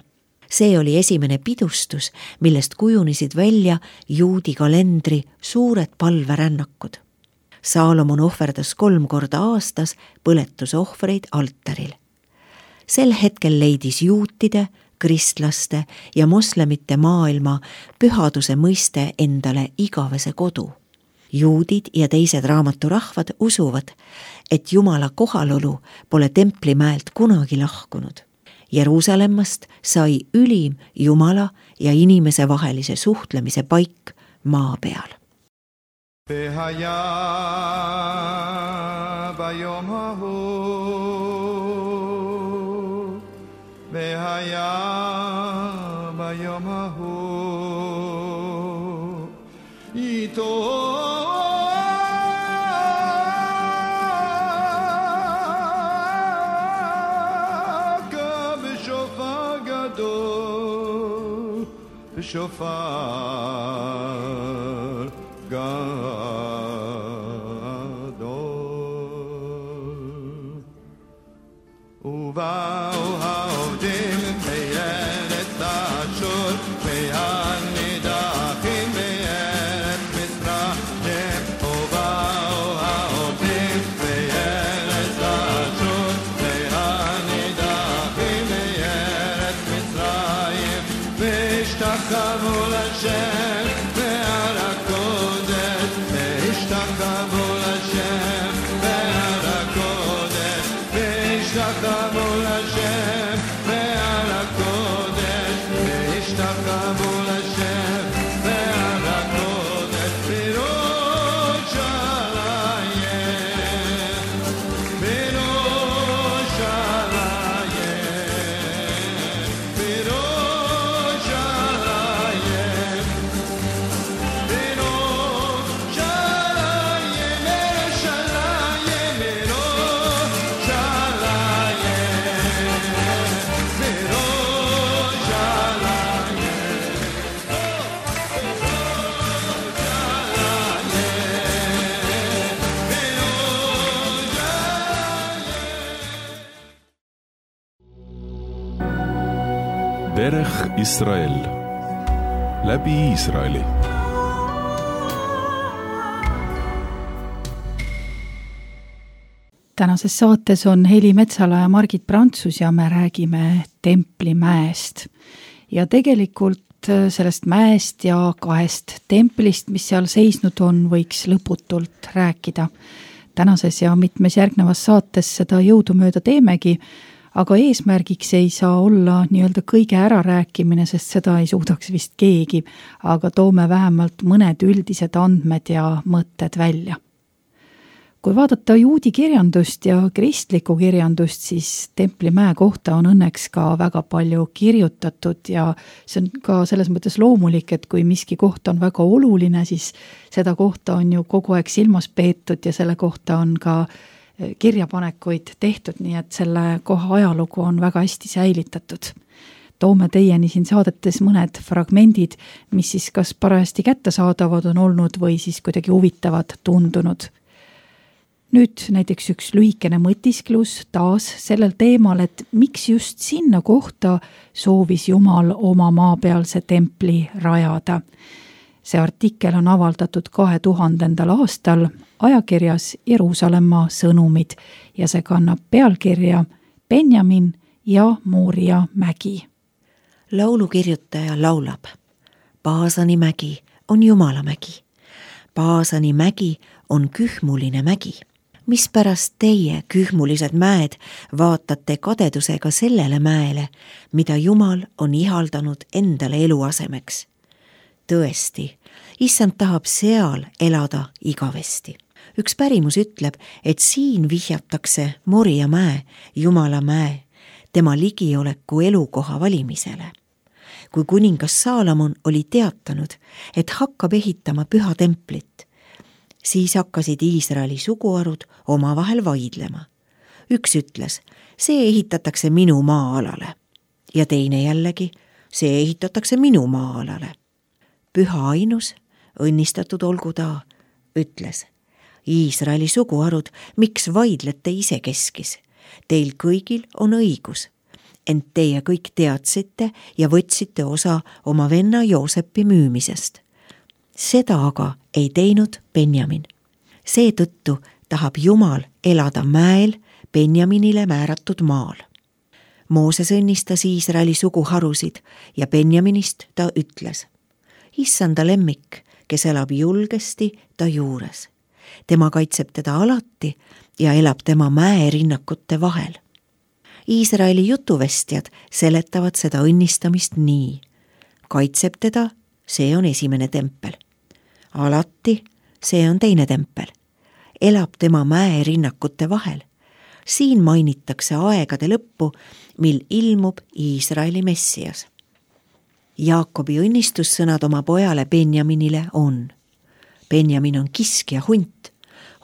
See oli esimene pidustus, millest kujunesid välja juudi kalendri suured palverännakud. Saalomon ohverdas kolm korda aastas põletusohvreid altaril. Sel hetkel leidis juutide, kristlaste ja moslemite maailma pühaduse mõiste endale igavese kodu. Juudid ja teised raamaturahvad usuvad, et Jumala kohalolu pole templimäelt kunagi lahkunud. Jeruusalemmast sai ülim Jumala ja inimese vahelise suhtlemise paik maa peal. והיה ביום ההוא, והיה ביום ההוא, איתו בשופר גדול, בשופר גדול. ובאו העובדים מארץ אשור והנידחים מארץ מצרים. ובאו העובדים מארץ אשור והנידחים מארץ מצרים והשתחוו לשם דרך ישראל. läbi Iisraeli. Tänases saates on Heli Metsala ja Margit Prantsus ja me räägime Templimäest. Ja tegelikult sellest mäest ja kahest templist, mis seal seisnud on, võiks lõputult rääkida. Tänases ja mitmes järgnevas saates seda jõudumööda teemegi, aga eesmärgiks ei saa olla nii-öelda kõige ärarääkimine, sest seda ei suudaks vist keegi, aga toome vähemalt mõned üldised andmed ja mõtted välja. Kui vaadata juudi kirjandust ja kristlikku kirjandust, siis Templimäe kohta on õnneks ka väga palju kirjutatud ja see on ka selles mõttes loomulik, et kui miski koht on väga oluline, siis seda kohta on ju kogu aeg silmas peetud ja selle kohta on ka kirjapanekuid tehtud, nii et selle koha ajalugu on väga hästi säilitatud. Toome teieni siin saadetes mõned fragmendid, mis siis kas parajasti kättesaadavad on olnud või siis kuidagi huvitavad tundunud. Nüüd näiteks üks lühikene mõtisklus taas sellel teemal, et miks just sinna kohta soovis Jumal oma maapealse templi rajada. See artikkel on avaldatud kahe tuhandendal aastal ajakirjas Jeruusalemma sõnumid ja see kannab pealkirja Benjamin ja Mooria mägi. Laulukirjutaja laulab: Paasani mägi on Jumala mägi. Paasani mägi on kühmuline mägi. Mispärast teie, kühmulised mäed, vaatate kadedusega sellele mäele, mida Jumal on ihaldanud endale eluasemeks? Tõesti, issand tahab seal elada igavesti. Üks pärimus ütleb, et siin vihjatakse Moria mäe, Jumala mäe, tema ligioleku elukoha valimisele. Kui kuningas Saalomon oli teatanud, et hakkab ehitama püha templit, siis hakkasid Iisraeli suguharud omavahel vaidlema. Üks ütles, see ehitatakse minu maa-alale ja teine jällegi, see ehitatakse minu maa-alale. Püha ainus, õnnistatud olgu ta, ütles, Iisraeli suguharud, miks vaidlete ise keskis? Teil kõigil on õigus, ent teie kõik teadsite ja võtsite osa oma venna Joosepi müümisest. Seda aga ei teinud Benjamin. Seetõttu tahab Jumal elada mäel Benjaminile määratud maal. Mooses õnnistas Iisraeli suguharusid ja Benjaminist ta ütles: Issanda lemmik, kes elab julgesti ta juures. Tema kaitseb teda alati ja elab tema mäerinnakute vahel. Iisraeli jutuvestjad seletavad seda õnnistamist nii: kaitseb teda, see on esimene tempel. Alati, see on teine tempel. Elab tema mäerinnakute vahel. Siin mainitakse aegade lõppu, mil ilmub Iisraeli messias. Jaakobi õnnistussõnad oma pojale Benjaminile on: Benjamin on kiskja hunt.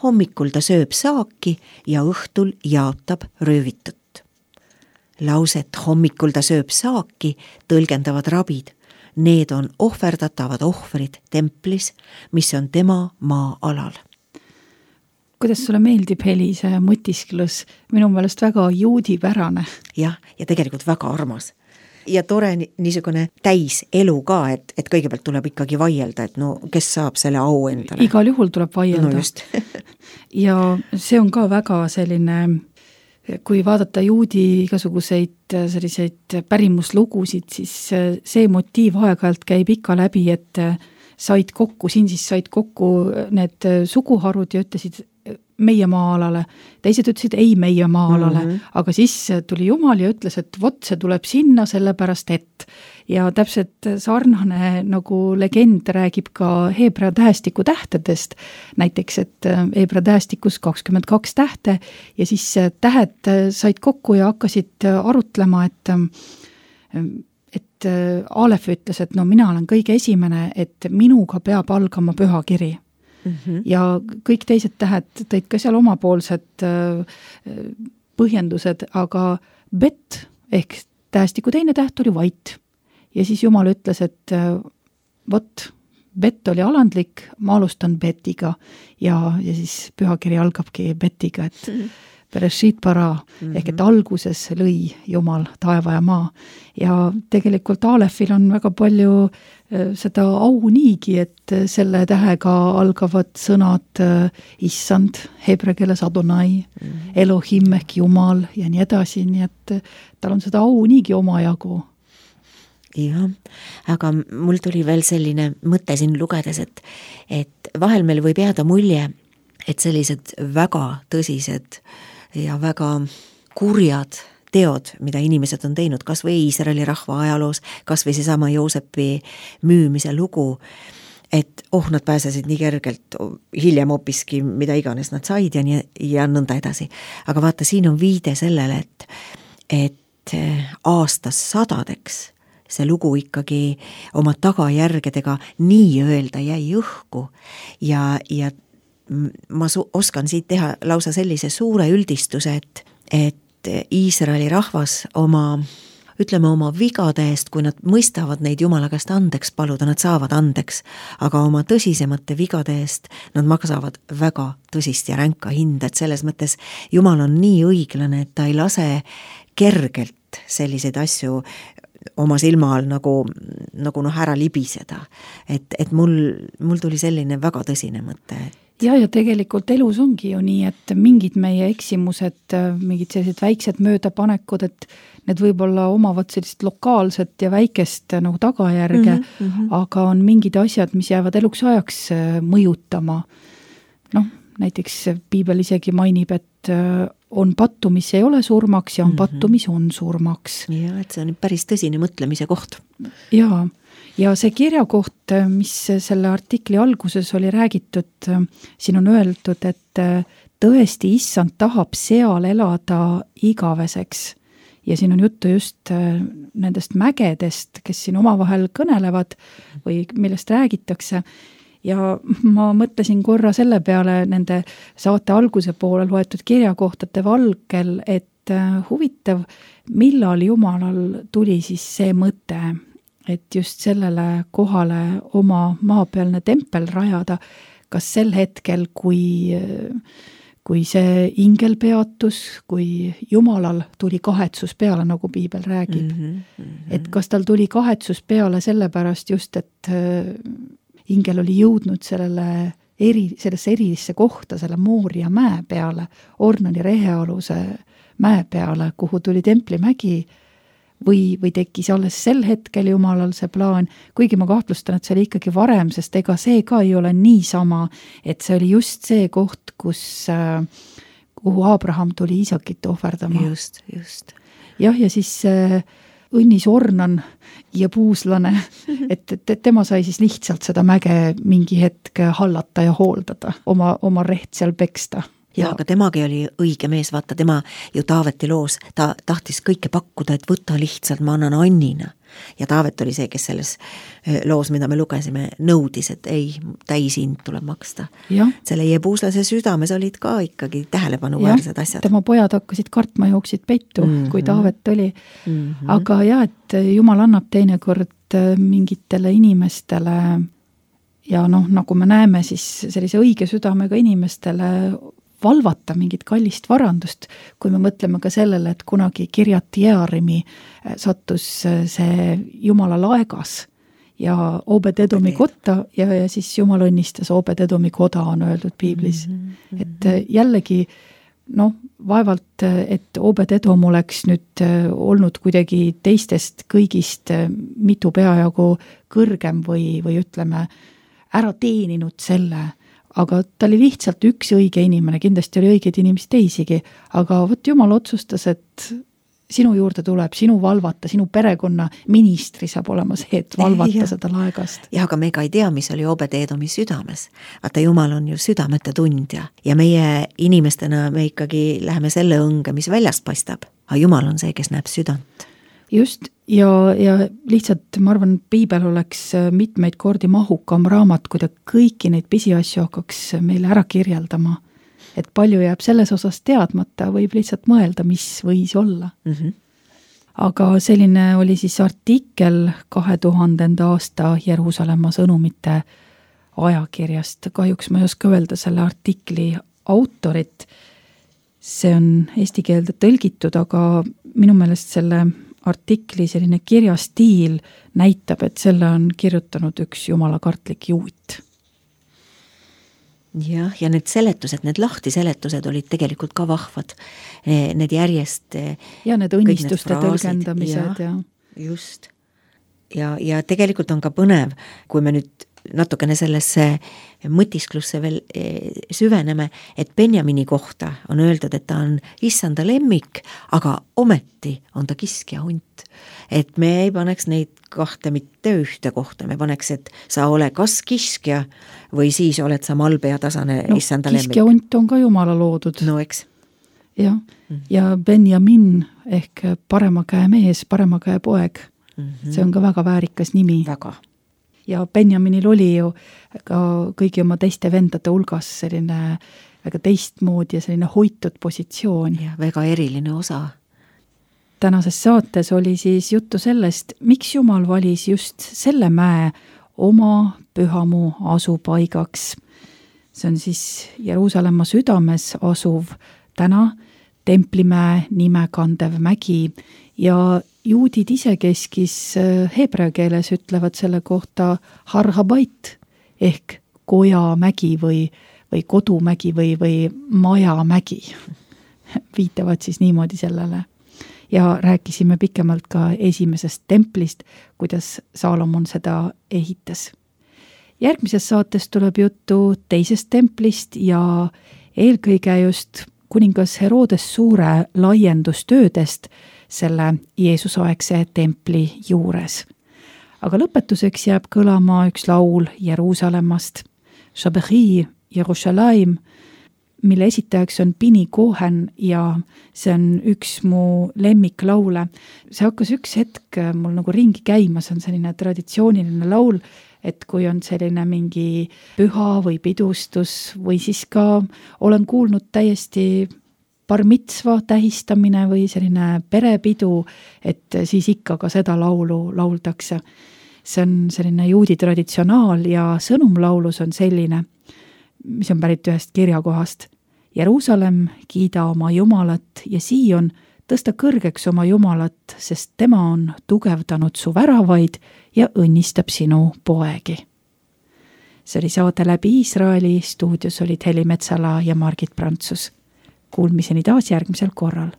Hommikul ta sööb saaki ja õhtul jaotab röövitut. Lauset hommikul ta sööb saaki tõlgendavad rabid. Need on ohverdatavad ohvrid templis, mis on tema maa-alal. Kuidas sulle meeldib, Heli, see mõtisklus? Minu meelest väga juudipärane. Jah, ja tegelikult väga armas. Ja tore niisugune täis elu ka, et, et kõigepealt tuleb ikkagi vaielda, et no kes saab selle au endale? Igal juhul tuleb vaielda. No just. Ja see on ka väga selline, kui vaadata juudi igasuguseid selliseid pärimuslugusid, siis see motiiv aeg-ajalt käib ikka läbi, et said kokku, siin siis said kokku need suguharud ja ütlesid meie maa-alale. Teised ütlesid ei meie maa-alale, mm -hmm. aga siis tuli Jumal ja ütles, et vot see tuleb sinna sellepärast, et ja täpselt sarnane nagu legend räägib ka Heebrea tähestiku tähtedest. Näiteks, et Heebrea tähestikus kakskümmend kaks tähte ja siis tähed said kokku ja hakkasid arutlema, et et Aalef ütles, et no mina olen kõige esimene, et minuga peab algama pühakiri. Mm -hmm. Ja kõik teised tähed tõid ka seal omapoolsed põhjendused, aga Bet ehk tähestiku teine täht oli vait. Ja siis Jumal ütles, et vot, Bet oli alandlik, ma alustan Betiga ja, ja siis pühakiri algabki Betiga, et mm -hmm. Bereshit bara mm-hmm. ehk et alguses lõi Jumal taeva ja maa. Ja tegelikult Alefil on väga palju seda au niigi, et selle tähega algavad sõnad issand, hebre keeles Adonai, mm-hmm. Elohim ehk Jumal ja nii edasi, nii et tal on seda au niigi omajagu. Jah, aga mul tuli veel selline mõte siin lugedes, et, et vahel meil võib jääda mulje, et sellised väga tõsised ja väga kurjad teod, mida inimesed on teinud, kas või Iisraeli rahva ajaloos, kas või seesama Joosepi müümise lugu, et oh, nad pääsesid nii kergelt, hiljem hoopiski mida iganes nad said ja, nii, ja nõnda edasi. Aga vaata, siin on viide sellele, et, et aastas sadadeks see lugu ikkagi oma tagajärgedega nii öelda jäi õhku ja, ja ma su- oskan siit teha lausa sellise suure üldistuse, et, et Iisraeli rahvas oma, ütleme oma vigade eest, kui nad mõistavad neid Jumala käest andeks paluda, nad saavad andeks, aga oma tõsisemate vigade eest nad maksavad väga tõsist ja ränka hinda, et selles mõttes Jumal on nii õiglane, et ta ei lase kergelt selliseid asju oma silma all nagu, nagu noh ära libiseda. Et, et mul, mul tuli selline väga tõsine mõte, et ja, ja tegelikult elus ongi ju nii, et mingid meie eksimused, mingid sellised väiksed möödapanekud, et need võib-olla omavad sellist lokaalset ja väikest nagu tagajärge, mm -hmm. aga on mingid asjad, mis jäävad eluks ajaks mõjutama. Noh, näiteks piibel isegi mainib, et on pattu, mis ei ole surmaks ja on mm -hmm. pattu, mis on surmaks. Ja, et see on päris tõsine mõtlemise koht. Jaa. Ja see kirja koht, mis selle artikli alguses oli räägitud, siin on öeldud, et tõesti issand tahab seal elada igaveseks. Ja siin on juttu just nendest mägedest, kes siin omavahel kõnelevad või millest räägitakse. Ja ma mõtlesin korra selle peale nende saate alguse poole loetud kirjakohtade valgel, et huvitav, millal Jumalal tuli siis see mõte, et just sellele kohale oma maapealne tempel rajada, kas sel hetkel, kui, kui see ingel peatus, kui Jumalal tuli kahetsus peale, nagu piibel räägib. Mm-hmm, mm-hmm. Et kas tal tuli kahetsus peale sellepärast just, et ingel oli jõudnud sellele eri, sellesse erilisse kohta, selle Mooria mäe peale, Ornani rehealuse mäe peale, kuhu tuli templimägi, või, või tekkis alles sel hetkel Jumalal see plaan, kuigi ma kahtlustan, et see oli ikkagi varem, sest ega see ka ei ole niisama, et see oli just see koht, kus, kuhu Abraham tuli Iisakit ohverdama. Just, just. Jah, ja siis õnnis Ornan ja puuslane, et, et tema sai siis lihtsalt seda mäge mingi hetk hallata ja hooldada, oma, oma reht seal peksta. Ja, aga temagi oli õige mees, vaata, tema ju Taaveti loos, ta tahtis kõike pakkuda, et võta lihtsalt, ma annan annina. Ja Taavet oli see, kes selles loos, mida me lugesime, nõudis, et ei, täishind tuleb maksta. Ja. Selle jebuuslase südames olid ka ikkagi tähelepanuväärsed asjad. Tema pojad hakkasid kartma, jooksid peitu, mm-hmm. kui Taavet oli. Mm-hmm. Aga jah, et Jumal annab teinekord mingitele inimestele ja noh, nagu me näeme, siis sellise õige südamega inimestele valvata mingit kallist varandust, kui me mõtleme ka sellele, et kunagi Kirjati Jearimi sattus see Jumala laegas ja Obed-Edomi kotta ja, ja siis Jumal õnnistas Obed-Edomi koda, on öeldud piiblis. Mm-hmm. Et jällegi, noh, vaevalt, et Obed-Edom oleks nüüd olnud kuidagi teistest kõigist mitu peajagu kõrgem või, või ütleme, ära teeninud selle, aga ta oli lihtsalt üks õige inimene, kindlasti oli õigeid inimesi teisigi, aga võt Jumal otsustas, et sinu juurde tuleb, sinu valvata, sinu perekonna ministri saab olema see, et valvata ja. Seda laegast. Ja, aga me ka ei tea, mis oli Obed-Edomi südames. Vaata, Jumal on ju südamete tundja ja meie inimestena me ikkagi läheme selle õnge, mis väljast paistab, aga Jumal on see, kes näeb südant. Just, ja, ja lihtsalt ma arvan, piibel oleks mitmeid kordi mahukam raamat, kui ta kõiki neid pisiasju hakkaks meile ära kirjeldama. Et palju jääb selles osas teadmata, võib lihtsalt mõelda, mis võis olla. Mm-hmm. Aga selline oli siis artikkel kahe tuhandenda aasta Jeruusalemma sõnumite ajakirjast. Kahjuks ma ei oska öelda selle artikli autorit. see on eesti keelde tõlgitud, aga minu meelest selle artikli selline kirjastiil näitab, et selle on kirjutanud üks jumalakartlik juut. jah, ja need seletused, need lahtiseletused olid tegelikult ka vahvad. Need järjest... Ja need õnnistuste need tõlgendamised. Ja, ja. Just. Ja, ja tegelikult on ka põnev, kui me nüüd natukene sellesse mõtisklusse veel süveneme, et Benjamini kohta on öeldud, et ta on issanda lemmik, aga ometi on ta kiskja hunt. Et me ei paneks neid kahte mitte ühte kohta, me paneks, et sa ole kas kiskja või siis oled sa malbe ja tasane no, issanda lemmik. Kiskja hunt on ka jumala loodud. No eks. Ja, mm-hmm. ja Benjamin ehk parema käe mees, parema käe poeg. Mm-hmm. See on ka väga väärikas nimi. Väga. Ja Benjaminil oli ju ka kõigi oma teiste vendade hulgas selline väga teistmoodi ja selline hoitud positsioon. Ja väga eriline osa. Tänases saates oli siis juttu sellest, miks Jumal valis just selle mäe oma pühamu asupaigaks. See on siis Jeruusalemma südames asuv täna Templimäe nime kandev mägi ja juudid isekeskis heebrea keeles ütlevad selle kohta Har-Habait ehk kojamägi või, või kodumägi või, või majamägi. Viitavad siis niimoodi sellele. Ja rääkisime pikemalt ka esimesest templist, kuidas Saalomon seda ehitas. Järgmises saates tuleb juttu teisest templist ja eelkõige just kuningas Herodes suure laiendustöödest selle Jeesusaegse templi juures. Aga lõpetuseks jääb kõlama üks laul Jeruusalemmast, Shabechi Jerusalem, mille esitajaks on Pini Cohen ja see on üks mu lemmiklaule. See hakkas üks hetk mul nagu ringi käima, see on selline traditsiooniline laul, et kui on selline mingi püha või pidustus või siis ka olen kuulnud täiesti bar mitzva tähistamine või selline perepidu, et siis ikka ka seda laulu lauldakse. See on selline juudi traditsionaal ja sõnumlaulus on selline, mis on pärit ühest kirjakohast. Jeruusalemm, kiida oma Jumalat ja Siion, tõsta kõrgeks oma Jumalat, sest tema on tugevdanud su väravaid ja õnnistab sinu poegi. See oli saade Läbi Iisraeli, stuudios olid Heli Metsala ja Margit Prantsus. Kuulmiseni taas järgmisel korral.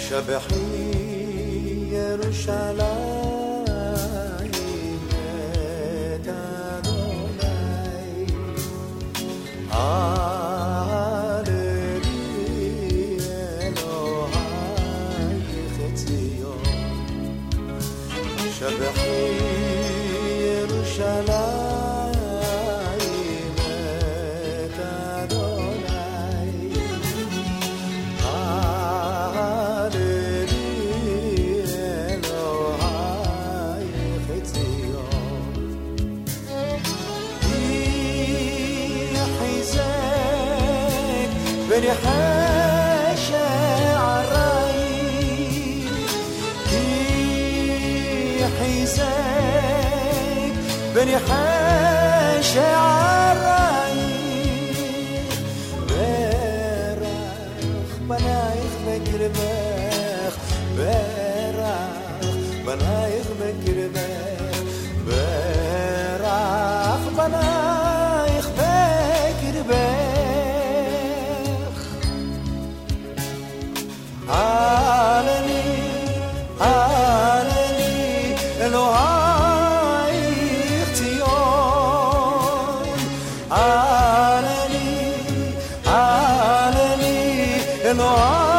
شبحي يرشلائي شبحي يرشلائي مت أدوناي هالليل إلهي ختيون يحزك بريحاش حيزك بني حاش عراي برخ بنايخ بكربخ برخ بنايخ بكربخ برخ بنايخ بكربخ عالمي Elohai Chtzion Aleli, Aleli Elohai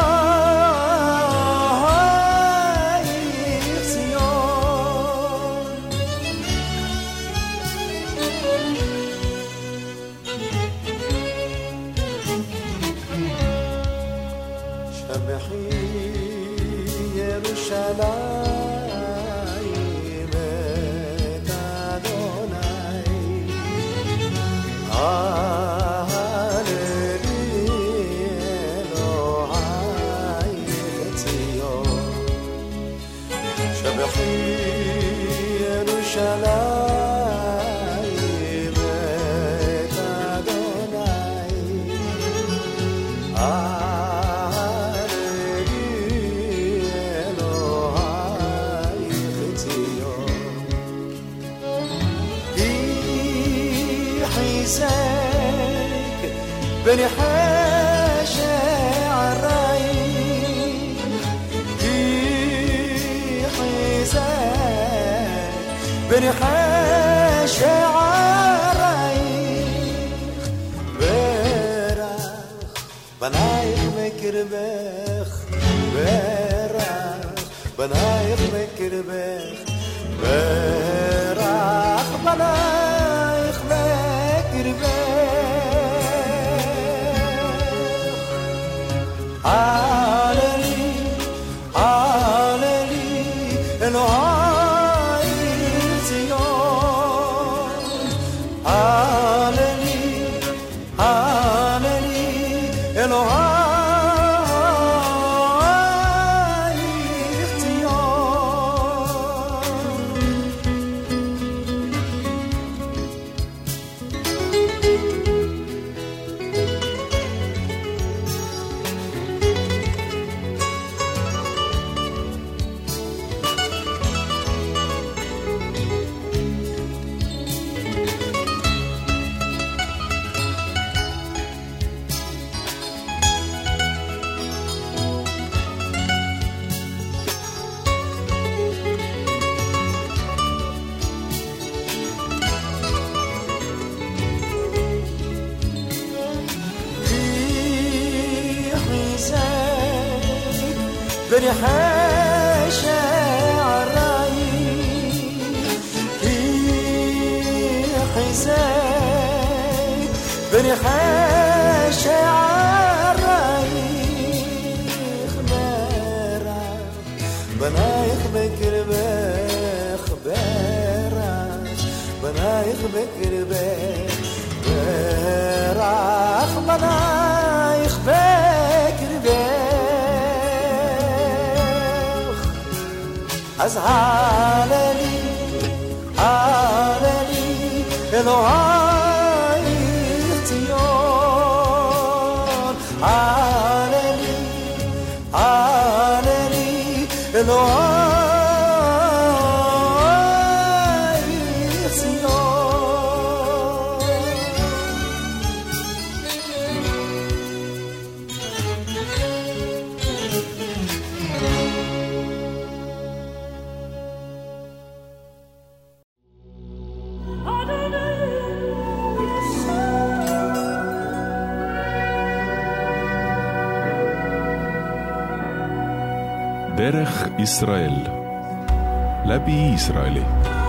Chtzion Shabechi Yerushalayim بنحاشا عالرايق في حزان بنحاشا عالرايق براخ بنايق مكربخ براخ بنايق مكربخ براخ بنايق مكربخ علي علي الهاي زيون علي علي الهاي بنحاشا عالرايق في حزان بنحاشا عالرايق براخ بنايق مكربخ براخ بنايق مكربخ براخ بنايق مكربخ از عللی عللی الهی اختیار عللی عللی الهی דרך ישראל, läbi Iisraeli.